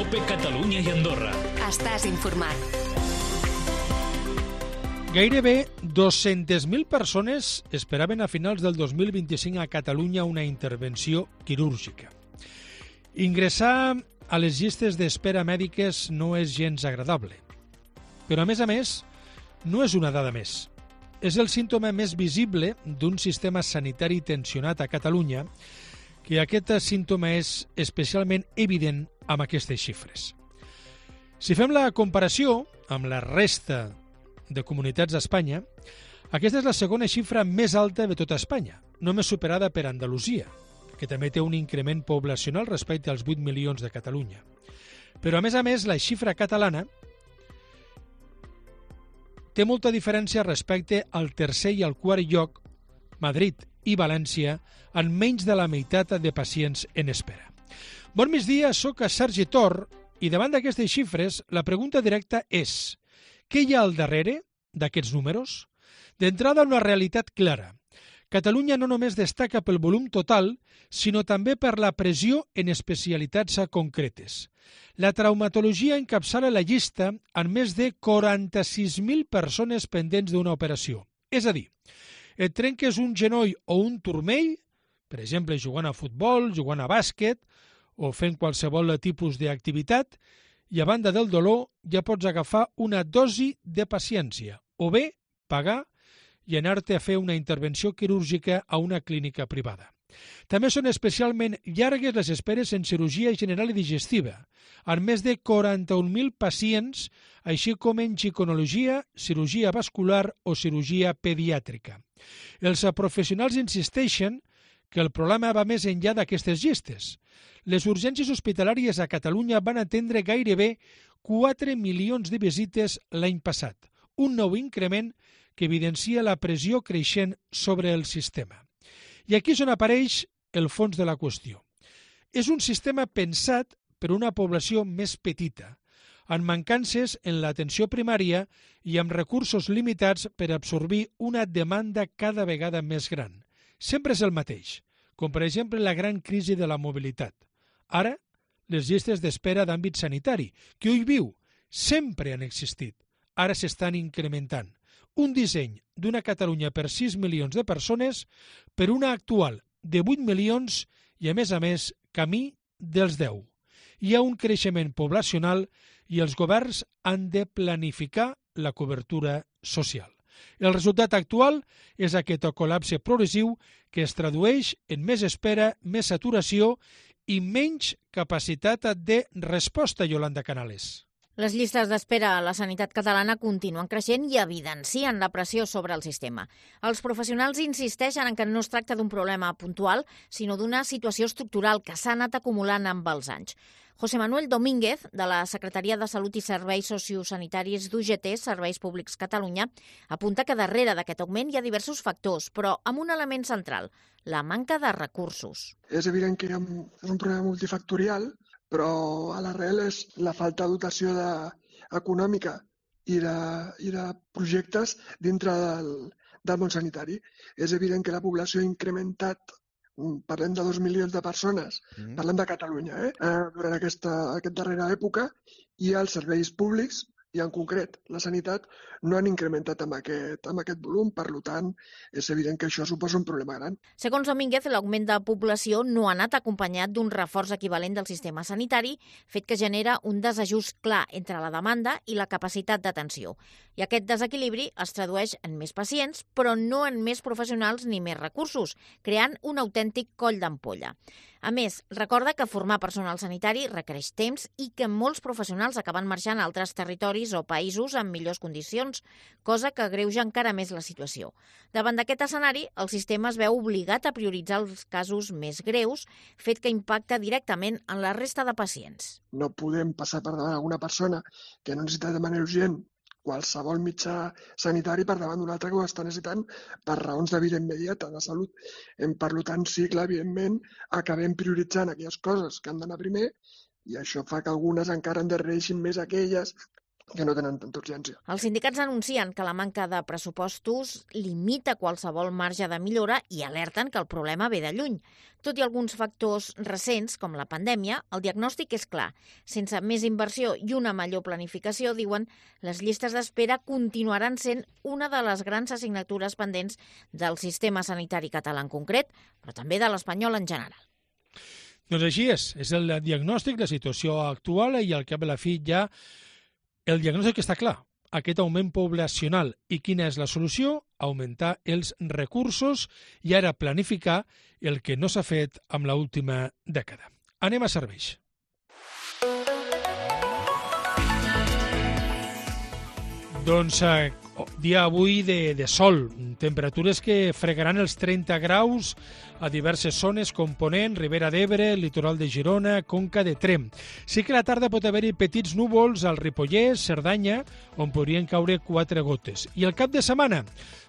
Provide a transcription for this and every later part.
COPE Catalunya i Andorra. Estàs informat. Gairebé 200.000 persones esperaven a finals del 2025 a Catalunya una intervenció quirúrgica. Ingressar a les llistes d'espera mèdiques no és gens agradable. Però, a més, no és una dada més. És el símptoma més visible d'un sistema sanitari tensionat a Catalunya, que aquest símptoma és especialment evident amb aquestes xifres. Si fem la comparació amb la resta de comunitats d'Espanya, aquesta és la segona xifra més alta de tota Espanya, només superada per Andalusia, que també té un increment poblacional respecte als 8 milions de Catalunya. Però, a més, la xifra catalana té molta diferència respecte al tercer i al quart lloc, Madrid i València, en menys de la meitat de pacients en espera. Bon migdia, soc Sergi Tor i davant d'aquestes xifres la pregunta directa és: què hi ha al darrere d'aquests números? D'entrada, una realitat clara. Catalunya no només destaca pel volum total, sinó també per la pressió en especialitats concretes. La traumatologia encapçala la llista amb més de 46.000 persones pendents d'una operació. És a dir, et trenques un genoll o un turmell, per exemple, jugant a futbol, jugant a bàsquet o fent qualsevol tipus d'activitat, i a banda del dolor ja pots agafar una dosi de paciència o bé pagar i anar-te a fer una intervenció quirúrgica a una clínica privada. També són especialment llargues les esperes en cirurgia general i digestiva, amb més de 41.000 pacients, així com en ginecològia, cirurgia vascular o cirurgia pediàtrica. Els professionals insisteixen que el problema va més enllà d'aquestes llistes. Les urgències hospitalàries a Catalunya van atendre gairebé 4 milions de visites l'any passat, un nou increment que evidencia la pressió creixent sobre el sistema. I aquí és on apareix el fons de la qüestió. És un sistema pensat per una població més petita, amb mancances en l'atenció primària i amb recursos limitats per absorbir una demanda cada vegada més gran. Sempre és el mateix, com per exemple la gran crisi de la mobilitat. Ara, les llistes d'espera d'àmbit sanitari, que hui viu, sempre han existit, ara s'estan incrementant. Un disseny d'una Catalunya per 6 milions de persones per una actual de 8 milions i, a més, camí dels 10. Hi ha un creixement poblacional i els governs han de planificar la cobertura social. El resultat actual és aquest col·lapse progressiu que es tradueix en més espera, més saturació i menys capacitat de resposta, Yolanda Canales. Les llistes d'espera a la sanitat catalana continuen creixent i evidencien la pressió sobre el sistema. Els professionals insisteixen en que no es tracta d'un problema puntual, sinó d'una situació estructural que s'ha anat acumulant amb els anys. José Manuel Domínguez, de la Secretaria de Salut i Serveis Sociosanitaris d'UGT, Serveis Públics Catalunya, apunta que darrere d'aquest augment hi ha diversos factors, però amb un element central, la manca de recursos. És evident que hi ha un problema multifactorial, però a l'arrel és la falta de dotació econòmica i de projectes dintre del món sanitari. És evident que la població ha incrementat, parlem de 2 milions de persones, parlem de Catalunya, durant aquesta darrera època, i els serveis públics, i en concret la sanitat, no han incrementat amb aquest volum, per tant, és evident que això suposa un problema gran. Segons Domínguez, l'augment de població no ha anat acompanyat d'un reforç equivalent del sistema sanitari, fet que genera un desajust clar entre la demanda i la capacitat d'atenció. I aquest desequilibri es tradueix en més pacients, però no en més professionals ni més recursos, creant un autèntic coll d'ampolla. A més, recorda que formar personal sanitari requereix temps i que molts professionals acaben marxant a altres territoris o països amb millors condicions, cosa que agreuja encara més la situació. Davant d'aquest escenari, el sistema es veu obligat a prioritzar els casos més greus, fet que impacta directament en la resta de pacients. No podem passar per davant alguna persona que no necessita de manera urgent qualsevol mitjà sanitari per davant d'un altre que ho està necessitant per raons de vida immediata, de salut. Per tant, sí, clar, evidentment, acabem prioritzant aquelles coses que han d'anar primer i això fa que algunes encara endarrereixin més aquelles que no tenen tanta urgència. Els sindicats anuncien que la manca de pressupostos limita qualsevol marge de millora i alerten que el problema ve de lluny. Tot i alguns factors recents, com la pandèmia, el diagnòstic és clar. Sense més inversió i una millor planificació, diuen, les llistes d'espera continuaran sent una de les grans assignatures pendents del sistema sanitari català en concret, però també de l'espanyol en general. Doncs així és el diagnòstic, la situació actual i al cap de la fi ja el diagnòstic està clar, aquest augment poblacional. I quina és la solució? Augmentar els recursos i ara planificar el que no s'ha fet amb l'última dècada. Anem a serveis. Doncs dia avui de sol, temperatures que fregaran els 30 graus a diverses zones com Ponent, Ribera d'Ebre, litoral de Girona, Conca de Tremp. Sí que a la tarda pot haver-hi petits núvols al Ripollès, Cerdanya, on podrien caure 4 gotes. I el cap de setmana,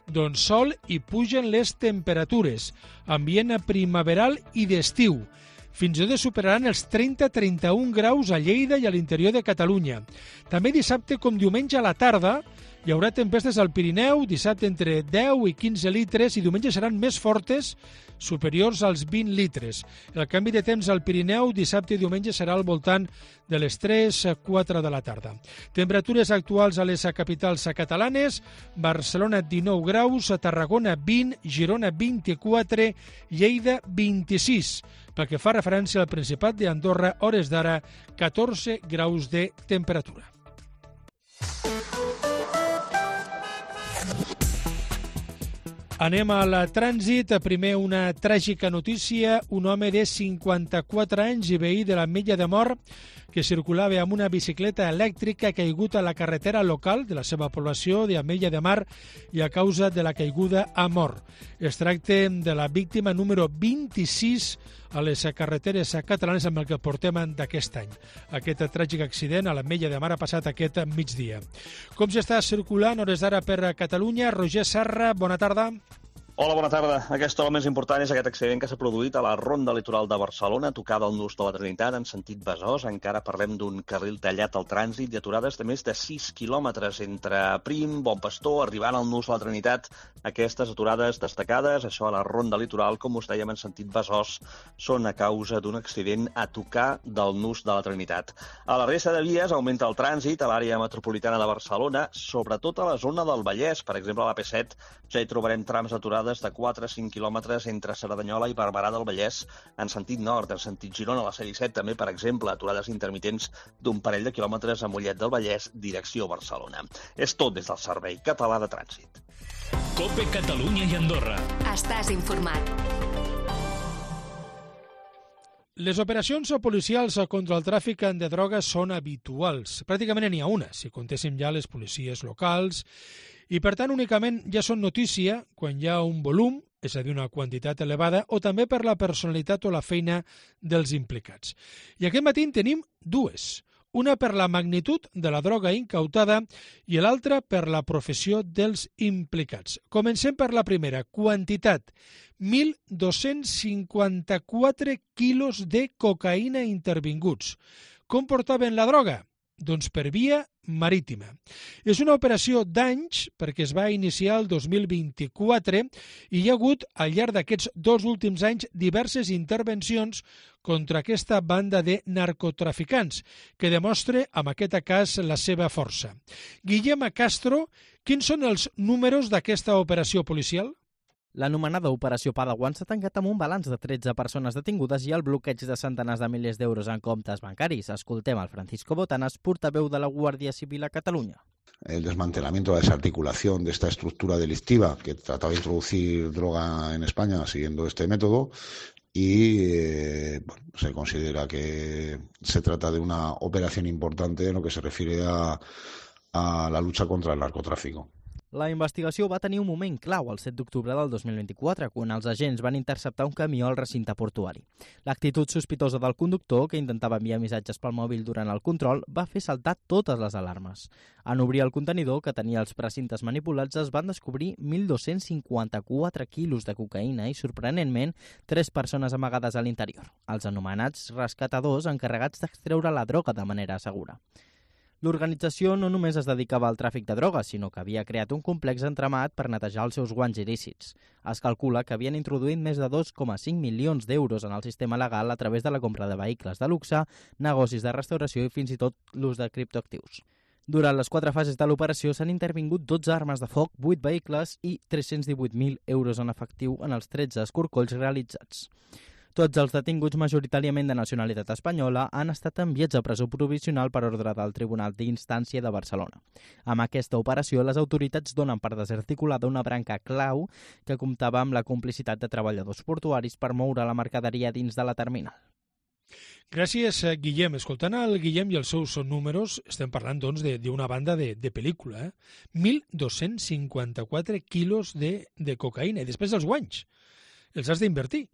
doncs sol i pugen les temperatures, ambient primaveral i d'estiu. Fins i tot superaran els 30-31 graus a Lleida i a l'interior de Catalunya. També dissabte com diumenge a la tarda hi haurà tempestes al Pirineu, dissabte entre 10 i 15 litres i diumenge seran més fortes, superiors als 20 litres. El canvi de temps al Pirineu dissabte i diumenge serà al voltant de les 3-4 de la tarda. Temperatures actuals a les capitals catalanes: Barcelona 19 graus, Tarragona 20, Girona 24, Lleida 26. Pel que fa referència al Principat d'Andorra, hores d'ara 14 graus de temperatura. Anem al trànsit. Primer, una tràgica notícia. Un home de 54 anys i veí de l'Ametlla de Mar que circulava amb una bicicleta elèctrica ha caigut a la carretera local de la seva població d'Ametlla de Mar i a causa de la caiguda ha mort. Es tracta de la víctima número 26 a les carreteres catalanes amb el que portem d'aquest any. Aquest tràgic accident a l'Ametlla de Mar ha passat aquest migdia. Com s'està circulant hores d'ara per Catalunya? Roger Serra, bona tarda. Hola, bona tarda. Aquesta hora més important és aquest accident que s'ha produït a la ronda litoral de Barcelona, tocada al nus de la Trinitat, en sentit Besòs. Encara parlem d'un carril tallat al trànsit i aturades de més de 6 quilòmetres entre Prim, Bon Pastor, arribant al nus de la Trinitat. Aquestes aturades destacades, això a la ronda litoral, com us dèiem, en sentit Besòs, són a causa d'un accident a tocar del nus de la Trinitat. A la resta de vies augmenta el trànsit a l'àrea metropolitana de Barcelona, sobretot a la zona del Vallès. Per exemple, a l'AP7 ja hi trobarem trams aturades de 4 a 5 quilòmetres entre Cerdanyola i Barberà del Vallès en sentit nord, en sentit Girona, a la C-17 també, per exemple, aturades intermitents d'un parell de quilòmetres a Mollet del Vallès, direcció Barcelona. És tot des del Servei Català de Trànsit. COPE Catalunya i Andorra. Estàs informat. Les operacions policials contra el tràfic de drogues són habituals. Pràcticament n'hi ha una, si comptéssim ja les policies locals, i per tant únicament ja són notícia quan hi ha un volum, és a dir, una quantitat elevada, o també per la personalitat o la feina dels implicats. I aquest matí en tenim dues. Una per la magnitud de la droga incautada i l'altra per la professió dels implicats. Comencem per la primera, quantitat. 1.254 quilos de cocaïna intervinguts. Com portaven la droga? Doncs per via marítima. És una operació d'anys perquè es va iniciar el 2024 i hi ha hagut al llarg d'aquests 2 últims anys diverses intervencions contra aquesta banda de narcotraficants que demostra en aquest cas la seva força. Guillem Castro, quins són els números d'aquesta operació policial? L'anomenada Operació Padawan s'ha tancat amb un balanç de 13 persones detingudes i el bloqueig de centenars de milers d'euros en comptes bancaris. Escoltem al Francisco Botanas, portaveu de la Guàrdia Civil a Catalunya. El desmantelamiento, la desarticulación de esta estructura delictiva que trataba de introducir droga en España siguiendo este método y se considera que se trata de una operación importante en lo que se refiere a la lucha contra el narcotráfico. La investigació va tenir un moment clau el 7 d'octubre del 2024, quan els agents van interceptar un camió al recinte portuari. L'actitud sospitosa del conductor, que intentava enviar missatges pel mòbil durant el control, va fer saltar totes les alarmes. En obrir el contenidor, que tenia els precintes manipulats, es van descobrir 1.254 quilos de cocaïna i, sorprenentment, 3 persones amagades a l'interior, els anomenats rescatadors encarregats d'extreure la droga de manera segura. L'organització no només es dedicava al tràfic de drogues, sinó que havia creat un complex entramat per netejar els seus guanys il·lícits. Es calcula que havien introduït més de 2,5 milions d'euros en el sistema legal a través de la compra de vehicles de luxe, negocis de restauració i fins i tot l'ús de criptoactius. Durant les 4 fases de l'operació s'han intervingut 12 armes de foc, 8 vehicles i 318.000 euros en efectiu en els 13 escorcolls realitzats. Tots els detinguts, majoritàriament de nacionalitat espanyola, han estat enviats a presó provisional per ordre del Tribunal d'Instància de Barcelona. Amb aquesta operació, les autoritats donen per desarticulada una branca clau que comptava amb la complicitat de treballadors portuaris per moure la mercaderia dins de la terminal. Gràcies, Guillem. Escoltant el Guillem i els seus números, estem parlant doncs, d'una banda de pel·lícula. 1.254 quilos de cocaïna. I després els guanys. Els has d'invertir.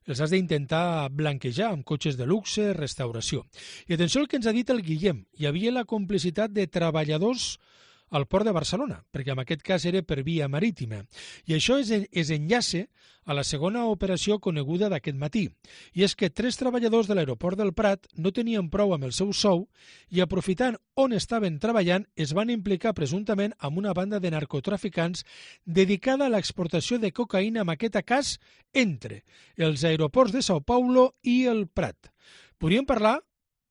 Els has d'intentar blanquejar amb cotxes de luxe, restauració. I atenció al que ens ha dit el Guillem. Hi havia la complicitat de treballadors al port de Barcelona, perquè en aquest cas era per via marítima. I això es enllaça a la segona operació coneguda d'aquest matí. I és que 3 treballadors de l'aeroport del Prat no tenien prou amb el seu sou i, aprofitant on estaven treballant, es van implicar presumptament amb una banda de narcotraficants dedicada a l'exportació de cocaïna, en aquest cas, entre els aeroports de Sao Paulo i el Prat. Podríem parlar,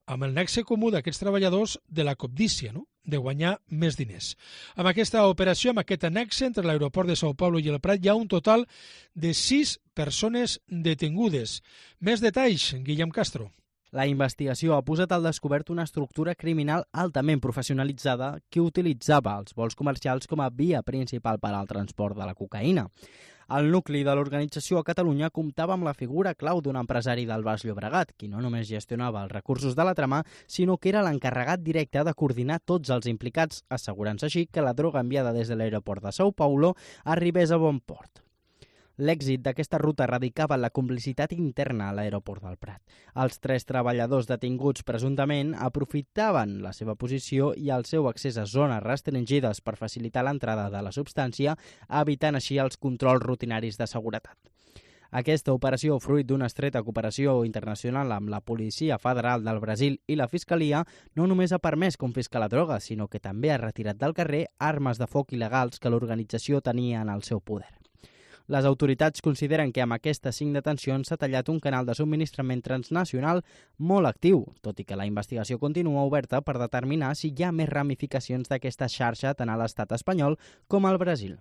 amb el nexe comú d'aquests treballadors, de la cobdícia, no?, de guanyar més diners. Amb aquesta operació, amb aquest nexe entre l'aeroport de Sao Paulo i el Prat, hi ha un total de 6 persones detingudes. Més detalls, Guillem Castro. La investigació ha posat al descobert una estructura criminal altament professionalitzada que utilitzava els vols comercials com a via principal per al transport de la cocaïna. El nucli de l'organització a Catalunya comptava amb la figura clau d'un empresari del Baix Llobregat, qui no només gestionava els recursos de la trama, sinó que era l'encarregat directe de coordinar tots els implicats, assegurant-se així que la droga enviada des de l'aeroport de Sao Paulo arribés a bon port. L'èxit d'aquesta ruta radicava en la complicitat interna a l'aeroport del Prat. Els 3 treballadors detinguts presumptament aprofitaven la seva posició i el seu accés a zones restringides per facilitar l'entrada de la substància, evitant així els controls rutinaris de seguretat. Aquesta operació, fruit d'una estreta cooperació internacional amb la Policia Federal del Brasil i la Fiscalia, no només ha permès confiscar la droga, sinó que també ha retirat del carrer armes de foc il·legals que l'organització tenia en el seu poder. Les autoritats consideren que amb aquestes 5 detencions s'ha tallat un canal de subministrament transnacional molt actiu, tot i que la investigació continua oberta per determinar si hi ha més ramificacions d'aquesta xarxa tant a l'estat espanyol com al Brasil.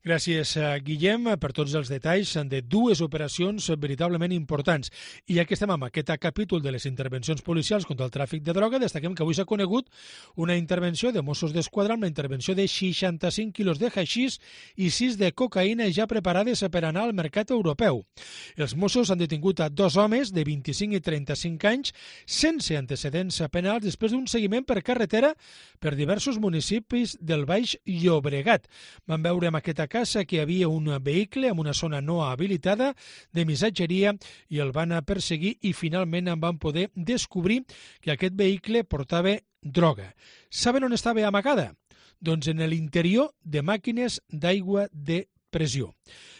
Gràcies, Guillem, per tots els detalls de 2 operacions veritablement importants. I ja que estem amb aquest capítol de les intervencions policials contra el tràfic de droga, destaquem que avui s'ha conegut una intervenció de Mossos d'Esquadra amb la intervenció de 65 quilos de haixís i 6 de cocaïna ja preparades per anar al mercat europeu. Els Mossos han detingut a 2 homes de 25 i 35 anys sense antecedents penals després d'un seguiment per carretera per diversos municipis del Baix Llobregat. Van veure en aquesta casa que hi havia un vehicle en una zona no habilitada de missatgeria i el van perseguir i finalment en van poder descobrir que aquest vehicle portava droga. Saben on estava amagada? Doncs en l'interior de màquines d'aigua de pressió.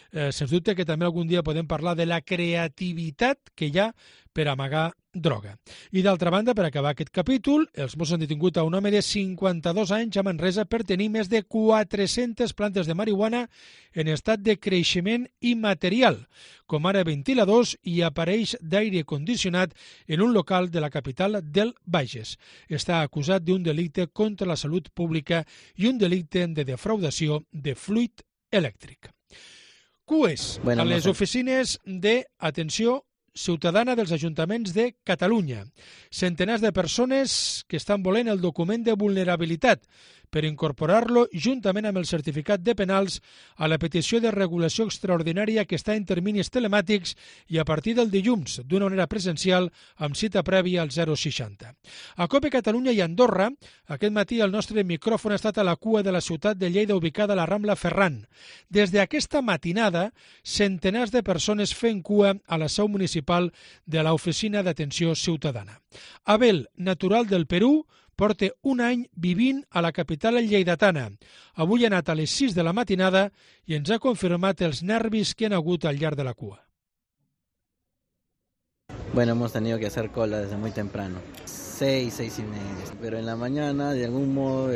Sens dubte que també algun dia podem parlar de la creativitat que hi ha per amagar droga. I d'altra banda, per acabar aquest capítol, els Mossos han detingut a un home de 52 anys a Manresa per tenir més de 400 plantes de marihuana en estat de creixement immaterial, com ara ventiladors i aparells d'aire condicionat en un local de la capital del Bages. Està acusat d'un delicte contra la salut pública i un delicte de defraudació de fluid elèctric. CUES, a les oficines d'atenció ciutadana dels ajuntaments de Catalunya. Centenars de persones que estan volent el document de vulnerabilitat per incorporar-lo juntament amb el certificat de penals a la petició de regulació extraordinària que està en terminis telemàtics i a partir del dilluns, d'una manera presencial, amb cita prèvia al 060. A COPE Catalunya i Andorra, aquest matí el nostre micròfon ha estat a la cua de la ciutat de Lleida ubicada a la Rambla Ferran. Des d'aquesta matinada, centenars de persones fent cua a la seu municipal de l'Oficina d'Atenció Ciutadana. Abel, natural del Perú, porta un any vivint a la capital lleidatana. Avui ha anat a les 6 de la matinada i ens ha confirmat els nervis que han hagut al llarg de la cua. Bueno, hemos tenido que hacer cola desde muy temprano. 6, 6:30. Pero en la mañana, de algún modo,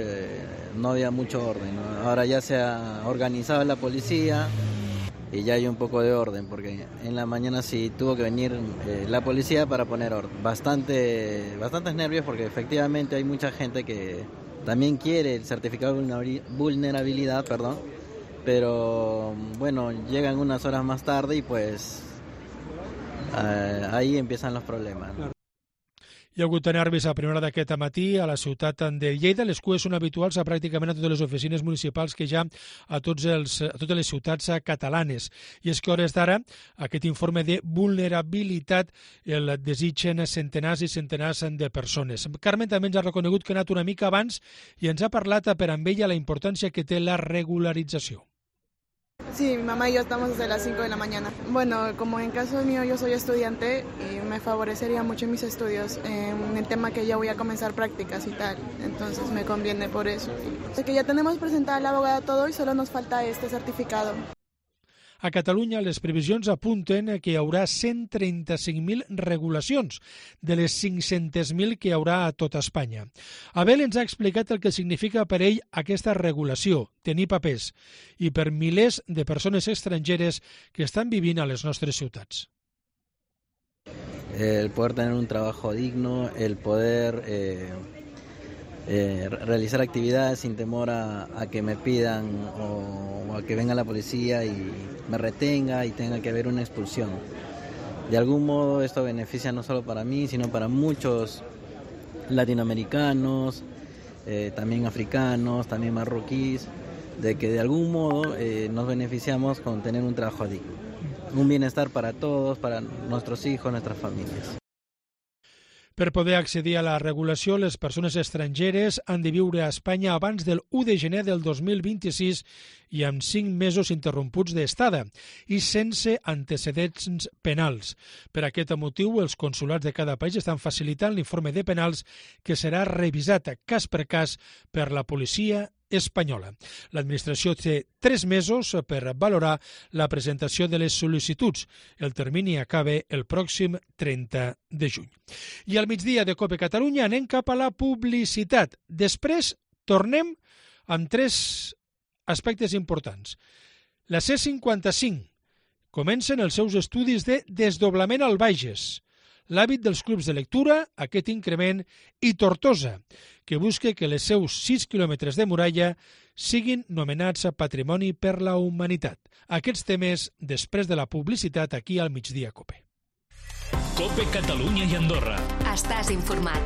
no había mucho orden, ¿no? Ahora ya se ha organizado la policía y ya hay un poco de orden, porque en la mañana sí tuvo que venir la policía para poner orden. Bastantes nervios, porque efectivamente hay mucha gente que también quiere el certificado de vulnerabilidad, pero bueno, llegan unas horas más tarde y pues ahí empiezan los problemas, ¿no? Hi ha hagut nervis a primera hora d'aquest matí a la ciutat de Lleida. Les cues són habituals a pràcticament a totes les oficines municipals que hi ha a totes les ciutats catalanes. I és que a hores d'ara aquest informe de vulnerabilitat el desitgen centenars i centenars de persones. Carmen també ens ha reconegut que ha anat una mica abans i ens ha parlat per amb ella la importància que té la regularització. Sí, mi mamá y yo estamos desde las 5 de la mañana. Bueno, como en caso mío yo soy estudiante y me favorecería mucho en mis estudios en el tema que ya voy a comenzar prácticas y tal, entonces me conviene por eso. Así que ya tenemos presentada la abogada todo y solo nos falta este certificado. A Catalunya, les previsions apunten que hi haurà 135.000 regulacions, de les 500.000 que hi haurà a tota Espanya. Abel ens ha explicat el que significa per ell aquesta regulació, tenir papers, i per milers de persones estrangeres que estan vivint a les nostres ciutats. El poder tener un trabajo digno, el poder realizar actividades sin temor a que me pidan o a que venga la policía y me retenga y tenga que haber una expulsión. De algún modo esto beneficia no solo para mí, sino para muchos latinoamericanos, también africanos, también marroquíes, de que de algún modo nos beneficiamos con tener un trabajo digno. Un bienestar para todos, para nuestros hijos, nuestras familias. Per poder accedir a la regulació, les persones estrangeres han de viure a Espanya abans del 1 de gener del 2026 i amb 5 mesos interromputs d'estada i sense antecedents penals. Per aquest motiu, els consulats de cada país estan facilitant l'informe de penals que serà revisat cas per cas per la policia espanyola. L'administració té 3 mesos per valorar la presentació de les sol·licituds. El termini acaba el pròxim 30 de juny. I al migdia de COPE Catalunya anem cap a la publicitat. Després tornem amb 3 aspectes importants. La C55 comencen els seus estudis de desdoblament al Bages, l'hàbit dels clubs de lectura, aquest increment, i Tortosa, que busca que les seus 6 quilòmetres de muralla siguin nomenats a Patrimoni per la Humanitat. Aquests temes després de la publicitat aquí al Migdia COPE. COPE Catalunya i Andorra. Estàs informat.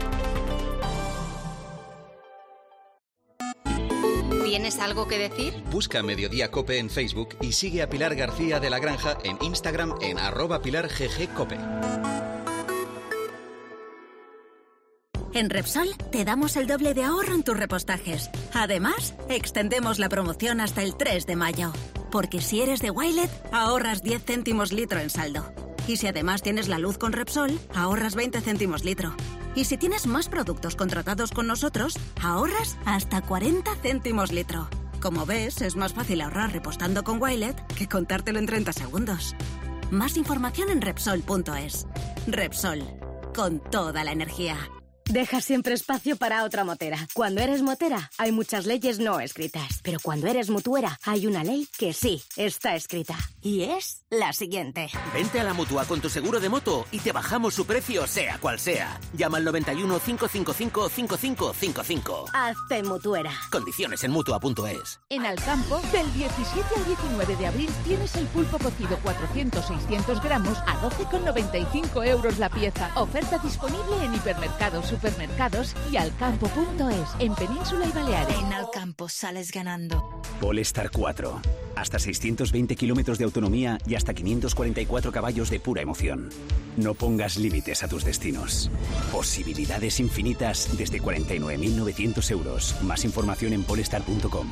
¿Tienes algo que decir? Busca Mediodía COPE en Facebook y sigue a Pilar García de la Granja en Instagram en @PilarGGCope. En Repsol te damos el doble de ahorro en tus repostajes. Además, extendemos la promoción hasta el 3 de mayo. Porque si eres de Wilet, ahorras 10 céntimos litro en saldo. Y si además tienes la luz con Repsol, ahorras 20 céntimos litro. Y si tienes más productos contratados con nosotros, ahorras hasta 40 céntimos litro. Como ves, es más fácil ahorrar repostando con Wilet que contártelo en 30 segundos. Más información en Repsol.es. Repsol, con toda la energía. Deja siempre espacio para otra motera. Cuando eres motera, hay muchas leyes no escritas. Pero cuando eres mutuera, hay una ley que sí está escrita. Y es la siguiente. Vente a la Mutua con tu seguro de moto y te bajamos su precio sea cual sea. Llama al 91 555 5555. Hazte mutuera. Condiciones en Mutua.es. En Alcampo, del 17 al 19 de abril tienes el pulpo cocido 400-600 gramos a 12,95 € la pieza. Oferta disponible en hipermercados, supermercados y alcampo.es, en Península y Baleares. En Alcampo sales ganando. Polestar 4. Hasta 620 kilómetros de autonomía y hasta 544 caballos de pura emoción. No pongas límites a tus destinos. Posibilidades infinitas desde 49.900 €. Más información en polestar.com.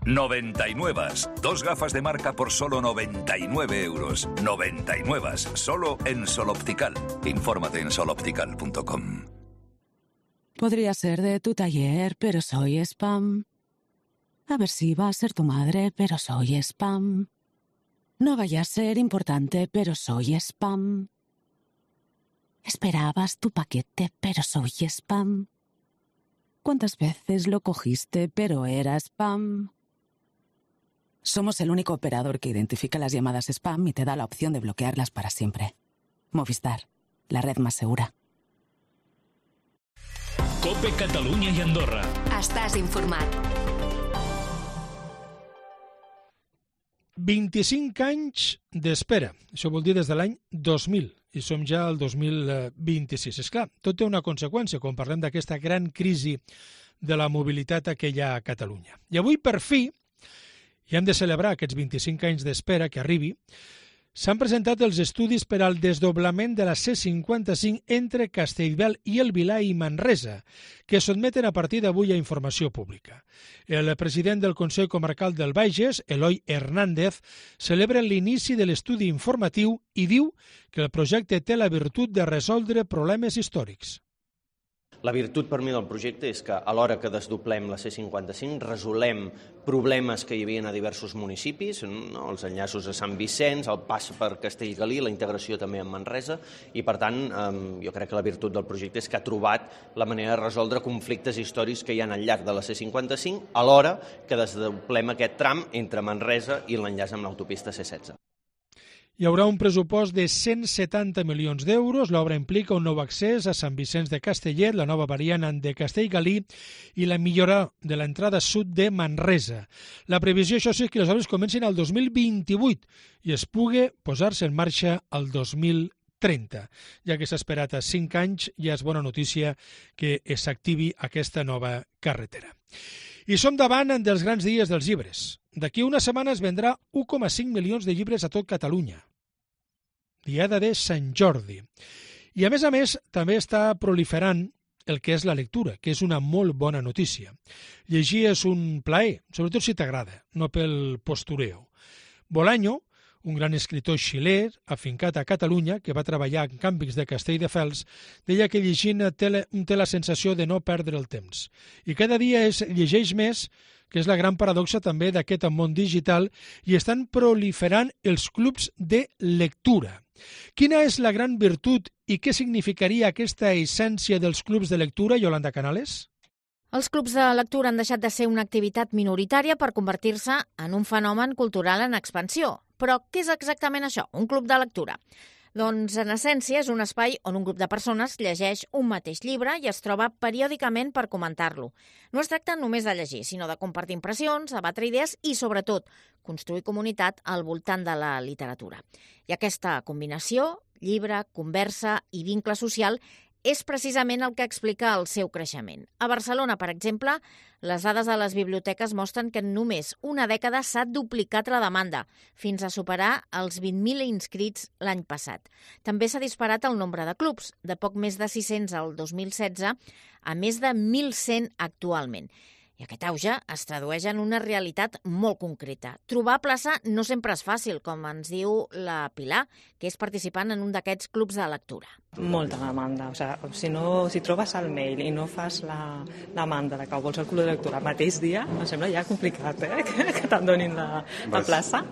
99. 2 gafas de marca por solo 99 €. 99. Solo en Sol Optical. Infórmate en soloptical.com. Podría ser de tu taller, pero soy spam. A ver si va a ser tu madre, pero soy spam. No vaya a ser importante, pero soy spam. Esperabas tu paquete, pero soy spam. ¿Cuántas veces lo cogiste, pero era spam? Somos el único operador que identifica las llamadas spam y te da la opción de bloquearlas para siempre. Movistar, la red más segura. COPE Catalunya i Andorra. Estàs informat. 25 anys d'espera. Això vol dir des de l'any 2000. I som ja al 2026. És clar, tot té una conseqüència quan parlem d'aquesta gran crisi de la mobilitat que hi ha a Catalunya. I avui, per fi, i hem de celebrar aquests 25 anys d'espera que arribi, s'han presentat els estudis per al desdoblament de la C55 entre Castellbell i el Vilar i Manresa, que es sotmeten a partir d'avui a informació pública. El president del Consell Comarcal del Bages, Eloi Hernández, celebra l'inici de l'estudi informatiu i diu que el projecte té la virtut de resoldre problemes històrics. La virtut per mi del projecte és que a l'hora que desdoblem la C55 resolem problemes que hi havia a diversos municipis, no? Els enllaços a Sant Vicenç, el pas per Castellgalí, la integració també amb Manresa, i per tant jo crec que la virtut del projecte és que ha trobat la manera de resoldre conflictes històrics que hi ha al llarg de la C55 a l'hora que desdoblem aquest tram entre Manresa i l'enllaç amb l'autopista C16. Hi haurà un pressupost de 170 milions d'euros. L'obra implica un nou accés a Sant Vicenç de Castellet, la nova variant de Castellgalí i la millora de l'entrada sud de Manresa. La previsió, això sí, és que les obres comencin al 2028 i es pugui posar-se en marxa al 2030. Ja que s'ha esperat a 5 anys, ja és bona notícia que s'activi aquesta nova carretera. I som davant dels grans dies dels llibres. D'aquí una setmana es vendrà 1,5 milions de llibres a tot Catalunya. Diada de Sant Jordi. I a més, també està proliferant el que és la lectura, que és una molt bona notícia. Llegir és un plaer, sobretot si t'agrada, no pel postureo. Bolaño, un gran escriptor xilè afincat a Catalunya, que va treballar en Càmpics de Castelldefels, deia que llegint té la sensació de no perdre el temps. I cada dia es llegeix més, que és la gran paradoxa també d'aquest món digital, i estan proliferant els clubs de lectura. Quina és la gran virtut i què significaria aquesta essència dels clubs de lectura, Yolanda Canales? Els clubs de lectura han deixat de ser una activitat minoritària per convertir-se en un fenomen cultural en expansió. Però què és exactament això, un club de lectura? Doncs, en essència, és un espai on un grup de persones llegeix un mateix llibre i es troba periòdicament per comentar-lo. No es tracta només de llegir, sinó de compartir impressions, debatre idees i, sobretot, construir comunitat al voltant de la literatura. I aquesta combinació, llibre, conversa i vincle social, és precisament el que explica el seu creixement. A Barcelona, per exemple, les dades de les biblioteques mostren que en només una dècada s'ha duplicat la demanda, fins a superar els 20.000 inscrits l'any passat. També s'ha disparat el nombre de clubs, de poc més de 600 al 2016 a més de 1.100 actualment. I aquest auge es tradueix en una realitat molt concreta. Trobar plaça no sempre és fàcil, com ens diu la Pilar, que és participant en un d'aquests clubs de lectura. Molta demanda. Si trobes el mail i no fas la demanda de que vols el club de lectura el mateix dia, em sembla ja complicat, que te'n donin la plaça.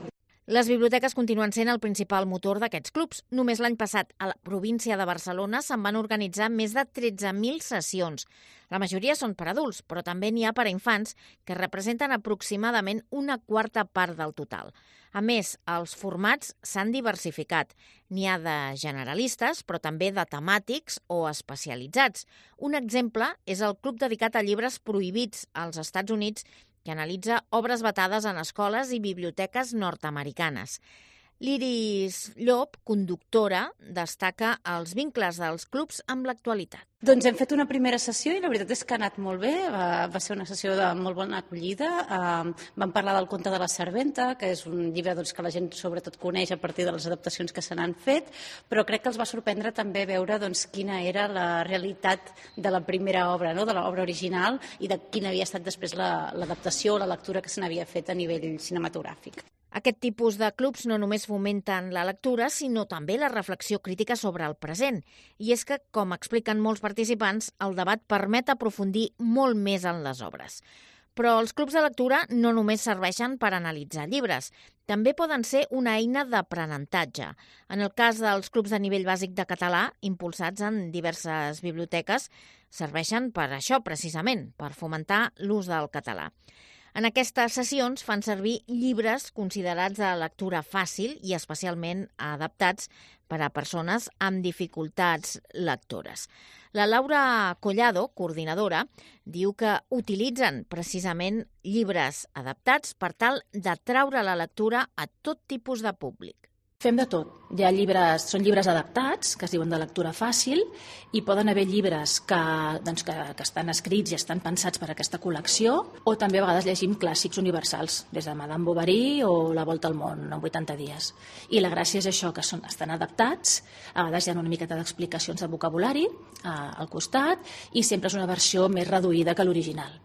Les biblioteques continuen sent el principal motor d'aquests clubs. Només l'any passat, a la província de Barcelona, se'n van organitzar més de 13.000 sessions. La majoria són per adults, però també n'hi ha per a infants, que representen aproximadament una quarta part del total. A més, els formats s'han diversificat. N'hi ha de generalistes, però també de temàtics o especialitzats. Un exemple és el club dedicat a llibres prohibits als Estats Units, que analitza obres vetades en escoles i biblioteques nord-americanes. L'Iris Llop, conductora, destaca els vincles dels clubs amb l'actualitat. Doncs hem fet una primera sessió i la veritat és que ha anat molt bé, va ser una sessió de molt bona acollida. Vam parlar del conte de la serventa, que és un llibre que la gent sobretot coneix a partir de les adaptacions que se n'han fet, però crec que els va sorprendre també veure quina era la realitat de la primera obra, de l'obra original, i de quina havia estat després l'adaptació o la lectura que se n'havia fet a nivell cinematogràfic. Aquest tipus de clubs no només fomenten la lectura, sinó també la reflexió crítica sobre el present. I és que, com expliquen molts participants, el debat permet aprofundir molt més en les obres. Però els clubs de lectura no només serveixen per analitzar llibres, també poden ser una eina d'aprenentatge. En el cas dels clubs de nivell bàsic de català, impulsats en diverses biblioteques, serveixen per això, precisament, per fomentar l'ús del català. En aquestes sessions fan servir llibres considerats de lectura fàcil i especialment adaptats per a persones amb dificultats lectores. La Laura Collado, coordinadora, diu que utilitzen precisament llibres adaptats per tal d'atraure la lectura a tot tipus de públic. Fem de tot. Hi ha llibres, són llibres adaptats, que es diuen de lectura fàcil, i poden haver llibres que estan escrits i estan pensats per a aquesta col·lecció, o també a vegades llegim clàssics universals, des de Madame Bovary o La volta al món en 80 dies. I la gràcia és això, que estan adaptats, a vegades hi ha una miqueta d'explicacions de vocabulari al costat, i sempre és una versió més reduïda que l'original.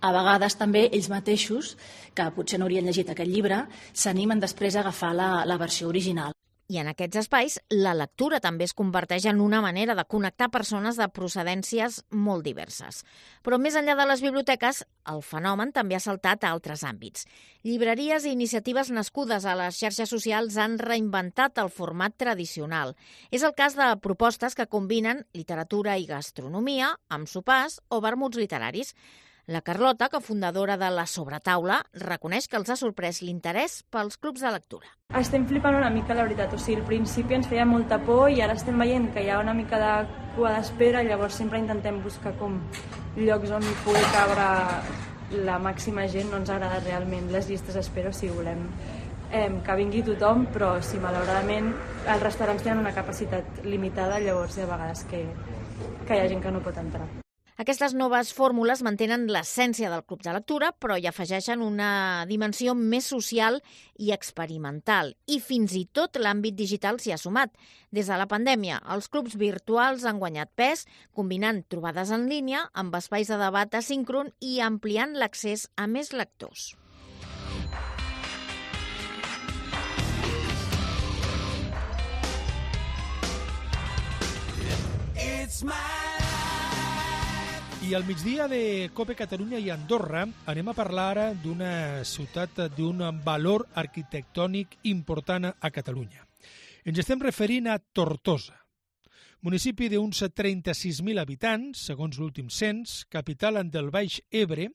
A vegades també ells mateixos, que potser no haurien llegit aquest llibre, s'animen després a agafar la versió original. I en aquests espais, la lectura també es converteix en una manera de connectar persones de procedències molt diverses. Però més enllà de les biblioteques, el fenomen també ha saltat a altres àmbits. Llibreries i iniciatives nascudes a les xarxes socials han reinventat el format tradicional. És el cas de propostes que combinen literatura i gastronomia amb sopars o vermuts literaris. La Carlota, cofundadora de La Sobretaula, reconeix que els ha sorprès l'interès pels clubs de lectura. Estem flipant una mica, la veritat. O sigui, al principi ens feia molta por i ara estem veient que hi ha una mica de cua d'espera, llavors sempre intentem buscar com llocs on pugui cabre la màxima gent. No ens agrada realment les llistes d'espera, o sigui, volem que vingui tothom, però sí, malauradament els restaurants tenen una capacitat limitada, llavors hi ha vegades que hi ha gent que no pot entrar. Aquestes noves fórmules mantenen l'essència del club de lectura, però hi afegeixen una dimensió més social i experimental. I fins i tot l'àmbit digital s'hi ha sumat. Des de la pandèmia, els clubs virtuals han guanyat pes, combinant trobades en línia amb espais de debat asíncron i ampliant l'accés a més lectors. I al migdia de COPE Catalunya i Andorra anem a parlar ara d'una ciutat d'un valor arquitectònic important a Catalunya. Ens estem referint a Tortosa, municipi d'uns 36.000 habitants, segons l'últim cens, capital del Baix Ebre,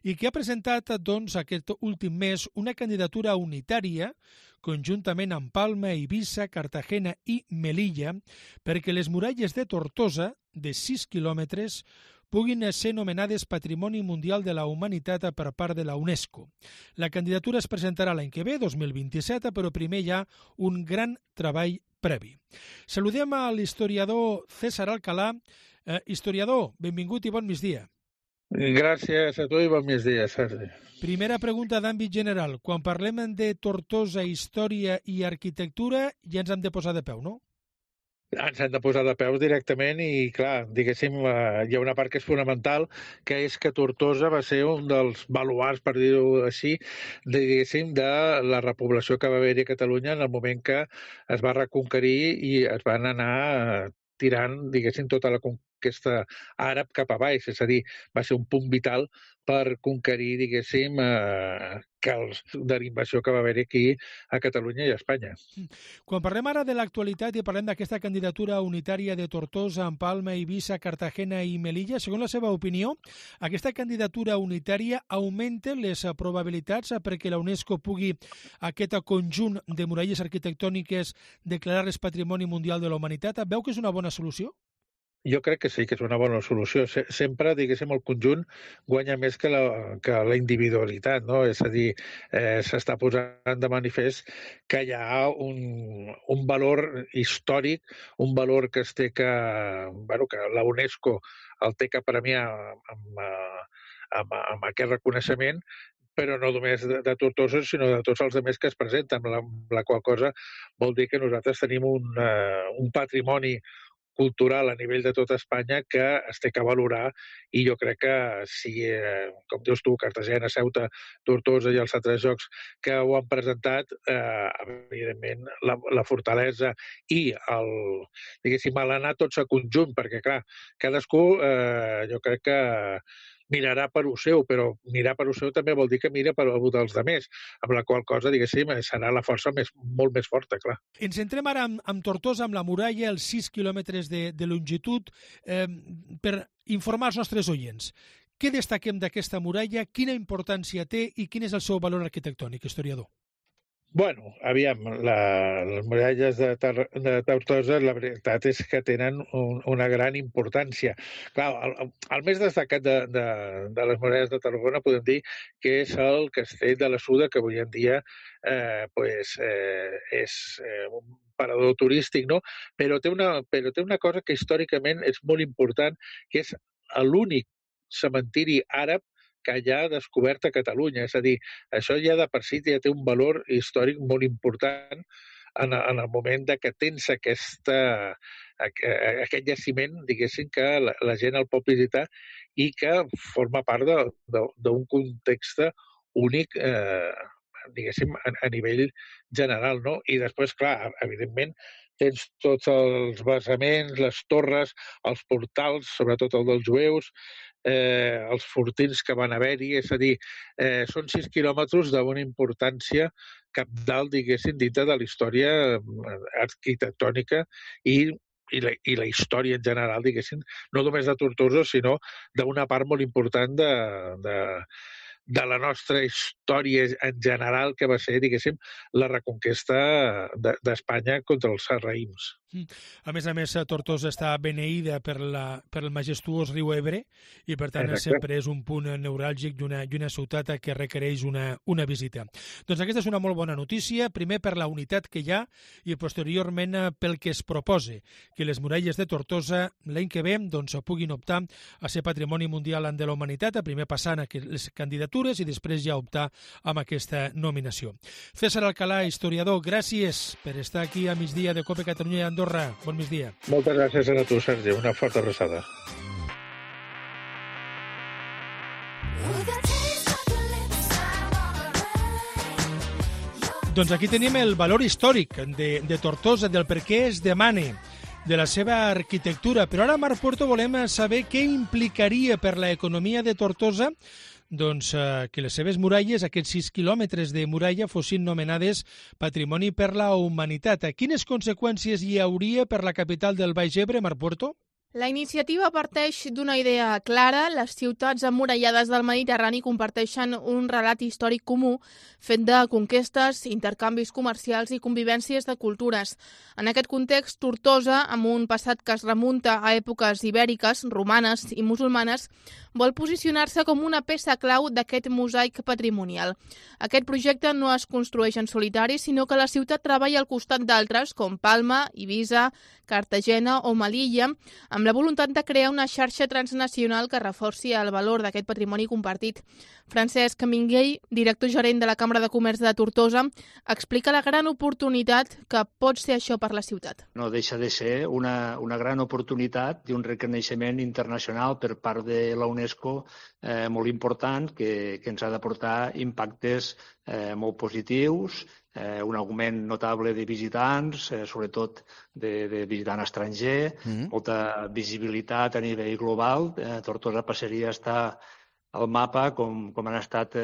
i que ha presentat aquest últim mes una candidatura unitària conjuntament amb Palma, Eivissa, Cartagena i Melilla perquè les muralles de Tortosa, de 6 quilòmetres, puguin ser nomenades Patrimoni Mundial de la Humanitat per part de la UNESCO. La candidatura es presentarà l'any que ve, 2027, però primer hi ha un gran treball previ. Saludem a l'historiador César Alcalá. Historiador, benvingut i bon migdia. Gràcies a tu i bon migdia, Sergi. Primera pregunta d'àmbit general. Quan parlem de Tortosa, història i arquitectura, ja ens hem de posar de peu, no? Ens hem de posar de peus directament i, clar, diguéssim, hi ha una part que és fonamental, que és que Tortosa va ser un dels baluards, per dir-ho així, diguéssim, de la repoblació que va haver-hi a Catalunya en el moment que es va reconquerir i es van anar tirant, diguéssim, tota la conquesta àrab cap a baix. És a dir, va ser un punt vital per conquerir, diguéssim, de l'invasió que va haver aquí a Catalunya i a Espanya. Quan parlem ara de l'actualitat i parlem d'aquesta candidatura unitària de Tortosa, amb Palma, Eivissa, Cartagena i Melilla, segons la seva opinió, aquesta candidatura unitària augmenta les probabilitats perquè la UNESCO pugui aquest conjunt de muralles arquitectòniques declarar-les Patrimoni Mundial de la Humanitat? Veu que és una bona solució? Jo crec que sí, que és una bona solució. Sempre, diguéssim, el conjunt guanya més que la individualitat, no? És a dir, s'està posant de manifest que hi ha un valor històric, un valor que es té que la UNESCO el té que premiar amb aquest reconeixement, però no només de Tortosa, sinó de tots els altres que es presenten, la qual cosa vol dir que nosaltres tenim un patrimoni cultural a nivell de tota Espanya que es té que valorar i jo crec que si, com dius tu, Cartagena, Ceuta, Tortosa i els altres jocs que ho han presentat, evidentment la fortalesa i diguéssim, l'anar tots a conjunt, perquè clar, cadascú jo crec que mirarà per lo seu, però mirar per lo seu també vol dir que mira per lo dels altres, amb la qual cosa, diguéssim, serà la força molt més forta, clar. Ens entrem ara amb Tortosa, amb la muralla, els 6 quilòmetres de longitud, per informar els nostres oients. Què destaquem d'aquesta muralla, quina importància té i quin és el seu valor arquitectònic, historiador? Bueno, aviam, les muralles de Tortosa, la veritat és que tenen una gran importància. Clar, el més destacat de les muralles de Tarragona podem dir que és el castell de la Suda, que avui en dia és un parador turístic, no? Però té una cosa que històricament és molt important, que és l'únic cementiri àrab que ja ha descobert a Catalunya. És a dir, això ja de per si ja té un valor històric molt important en el moment que tens aquest jaciment, diguéssim, que la gent el pot visitar i que forma part d'un context únic, diguéssim, a nivell general, no? I després, clar, evidentment, tens tots els basaments, les torres, els portals, sobretot el dels jueus, els fortins que van haver-hi, és a dir, són 6 quilòmetres d'una importància cabdal, diguéssim, dintre de la història arquitectònica i la història en general, diguéssim, no només de Tortosa, sinó d'una part molt important de la nostra història en general, que va ser, diguéssim, la reconquesta d'Espanya contra els sarraïns. A més, Tortosa està beneïda per el majestuós riu Ebre i, per tant, sempre és un punt neuràlgic i una ciutat que requereix una visita. Doncs aquesta és una molt bona notícia, primer per la unitat que hi ha i posteriorment pel que es proposa, que les muralles de Tortosa l'any que ve puguin optar a ser Patrimoni Mundial de la Humanitat, a primer passant les candidatures i després ja optar amb aquesta nominació. César Alcalà, historiador, gràcies per estar aquí a migdia de COPE Catalunya i Andorra. Bon migdia. Moltes gràcies a tu, Sergi. Una forta abraçada. Doncs aquí tenim el valor històric de Tortosa, del per què es demana, de la seva arquitectura. Però ara, Marc Puerto, volem saber què implicaria per l'economia de Tortosa que les seves muralles, aquests 6 quilòmetres de muralla, fossin nomenades Patrimoni per la Humanitat. Quines conseqüències hi hauria per la capital del Baix Ebre, Marc Puerto? La iniciativa parteix d'una idea clara. Les ciutats emmurallades del Mediterrani comparteixen un relat històric comú fet de conquestes, intercanvis comercials i convivències de cultures. En aquest context, Tortosa, amb un passat que es remunta a èpoques ibèriques, romanes i musulmanes, vol posicionar-se com una peça clau d'aquest mosaic patrimonial. Aquest projecte no es construeix en solitari, sinó que la ciutat treballa al costat d'altres, com Palma, Eivissa, Cartagena o Melilla, amb la voluntat de crear una xarxa transnacional que reforci el valor d'aquest patrimoni compartit. Francesc Minguell, director gerent de la Cambra de Comerç de Tortosa, explica la gran oportunitat que pot ser això per la ciutat. No deixa de ser una gran oportunitat d'un reconeixement internacional per part de la UNESCO molt important que ens ha de portar impactes molt positius, un augment notable de visitants, sobretot de visitant estranger, molta visibilitat a nivell global. Tortosa passaria a estar al mapa com han estat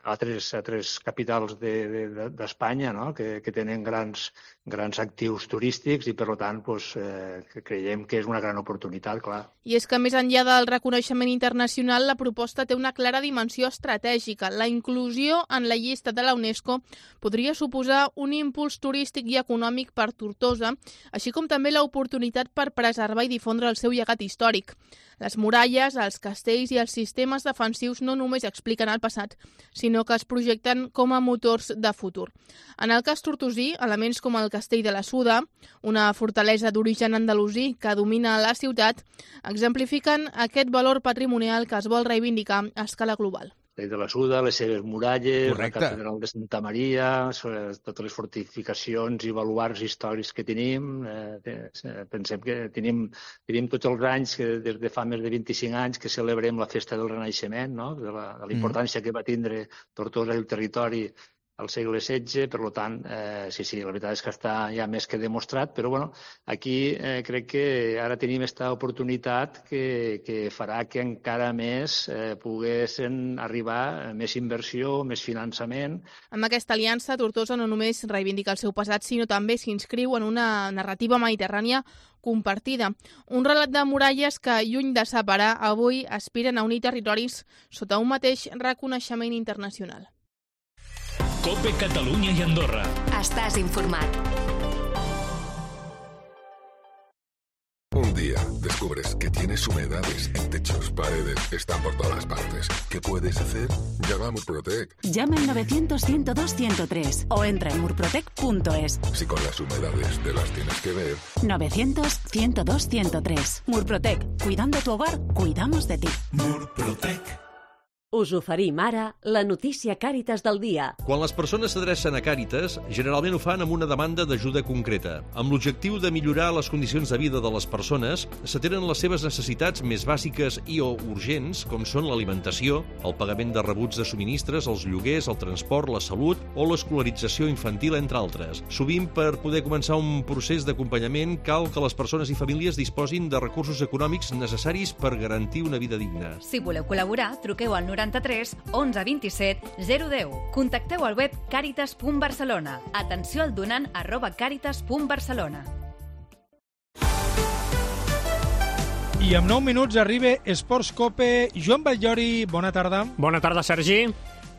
altres capitals d'Espanya, no? que tenen grans actius turístics i, per tant, creiem que és una gran oportunitat, clar. I és que, més enllà del reconeixement internacional, la proposta té una clara dimensió estratègica. La inclusió en la llista de la UNESCO podria suposar un impuls turístic i econòmic per Tortosa, així com també l'oportunitat per preservar i difondre el seu llegat històric. Les muralles, els castells i els sistemes defensius no només expliquen el passat, sinó que es projecten com a motors de futur. En el cas tortosí, elements com el Castell de la Suda, una fortalesa d'origen andalusí que domina la ciutat, exemplifiquen aquest valor patrimonial que es vol reivindicar a escala global. De la Suda, les seves muralles, la catedral de Santa Maria, totes les fortificacions i baluards històrics que tenim. Pensem que tenim tots els anys, des de fa més de 25 anys, que celebrem la festa del Renaixement, no? De la importància que va tindre Tortosa i el territori al segle XVI, per tant, sí, la veritat és que està ja més que demostrat, però bueno, aquí crec que ara tenim aquesta oportunitat que farà que encara més poguessin arribar més inversió, més finançament. Amb aquesta aliança, Tortosa no només reivindica el seu passat, sinó també s'inscriu en una narrativa mediterrània compartida. Un relat de muralles que, lluny de separar, avui aspiren a unir territoris sota un mateix reconeixement internacional. COPE Catalunya y Andorra. Estás informat. Un día descubres que tienes humedades en techos, paredes, están por todas partes. ¿Qué puedes hacer? Llama a Murprotec. Llama al 900-102-103 o entra en murprotec.es. Si con las humedades te las tienes que ver. 900-102-103. Murprotec. Cuidando tu hogar, cuidamos de ti. Murprotec. Us oferim ara la notícia Càritas del dia. Quan les persones s'adrecen a Càritas, generalment ho fan amb una demanda d'ajuda concreta. Amb l'objectiu de millorar les condicions de vida de les persones, s'atenen les seves necessitats més bàsiques i o urgents, com són l'alimentació, el pagament de rebuts de subministres, els lloguers, el transport, la salut o l'escolarització infantil, entre altres. Sovint, per poder començar un procés d'acompanyament, cal que les persones i famílies disposin de recursos econòmics necessaris per garantir una vida digna. Si voleu col·laborar, truqueu al 93 11 27 010. Contacteu al web caritas.barcelona. Atenció al donant @caritas.barcelona. I amb 9 minuts arriba Esports Cope. Joan Batllori, bona tarda. Bona tarda, Sergi.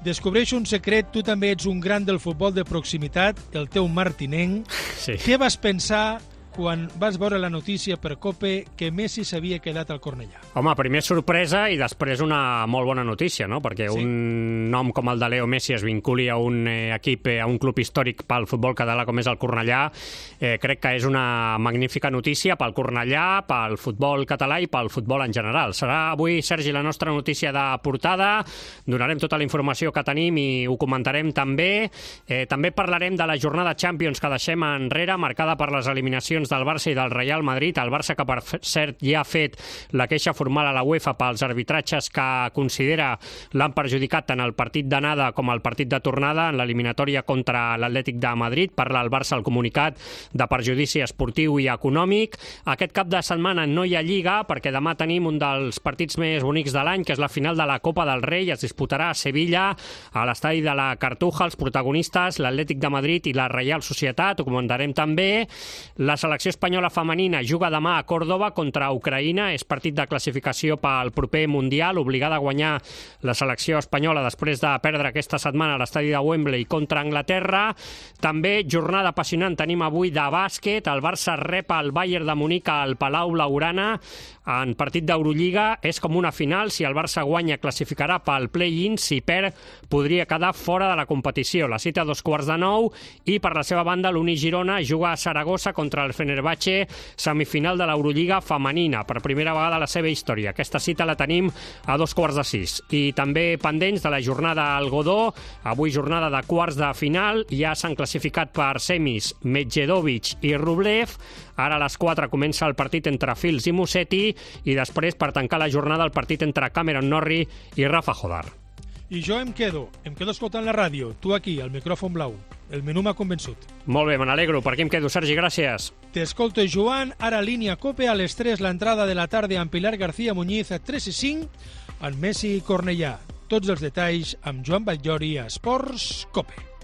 Descobreix un secret, tu també ets un gran del futbol de proximitat, el teu martinenc. Sí. Què vas pensar quan vas veure la notícia per COPE que Messi s'havia quedat al Cornellà? Home, primer sorpresa i després una molt bona notícia, no? Perquè sí, un nom com el de Leo Messi es vinculi a un equip, a un club històric pel futbol català com és el Cornellà, crec que és una magnífica notícia pel Cornellà, pel futbol català i pel futbol en general. Serà avui, Sergi, la nostra notícia de portada. Donarem tota la informació que tenim i ho comentarem també. També parlarem de la jornada Champions que deixem enrere, marcada per les eliminacions del Barça i del Real Madrid. El Barça, que per cert ja ha fet la queixa formal a la UEFA pels arbitratges que considera l'han perjudicat tant el partit d'anada com el partit de tornada en l'eliminatòria contra l'Atlètic de Madrid. Parla el Barça al comunicat de perjudici esportiu i econòmic. Aquest cap de setmana no hi ha Lliga perquè demà tenim un dels partits més bonics de l'any, que és la final de la Copa del Rei. Es disputarà a Sevilla, a l'estadi de la Cartuja. Els protagonistes, l'Atlètic de Madrid i la Reial Societat. Ho comentarem també. La selecció espanyola femenina juga demà a Còrdova contra Ucraïna. És partit de classificació pel proper Mundial, obligada a guanyar la selecció espanyola després de perdre aquesta setmana a l'estadi de Wembley contra Anglaterra. També jornada apassionant tenim avui de bàsquet. El Barça rep el Bayern de Munic al Palau Blaugrana en partit d'Eurolliga. És com una final. Si el Barça guanya, classificarà pel play-in. Si perd, podria quedar fora de la competició. La cita a 8:45 i per la seva banda l'Uni Girona juga a Saragossa contra el Fenerbahce, semifinal de l'Eurolliga femenina, per primera vegada a la seva història. Aquesta cita la tenim a 5:45. I també pendents de la jornada al Godó, avui jornada de quarts de final, ja s'han classificat per semis Medjedovic i Rublev. Ara a les 4 comença el partit entre Fils i Musetti i després, per tancar la jornada, el partit entre Cameron Norrie i Rafa Jodar. I jo em quedo escoltant la ràdio, tu aquí, al micròfon blau. El menú m'ha convençut. Molt bé, me n'alegro. Per aquí em quedo, Sergi, gràcies. T'escolto, Joan. Ara línia COPE a les 3, l'entrada de la tarda amb Pilar García Muñiz a 3 i 5, en Messi i Cornellà. Tots els detalls amb Joan Batllori a Esports COPE.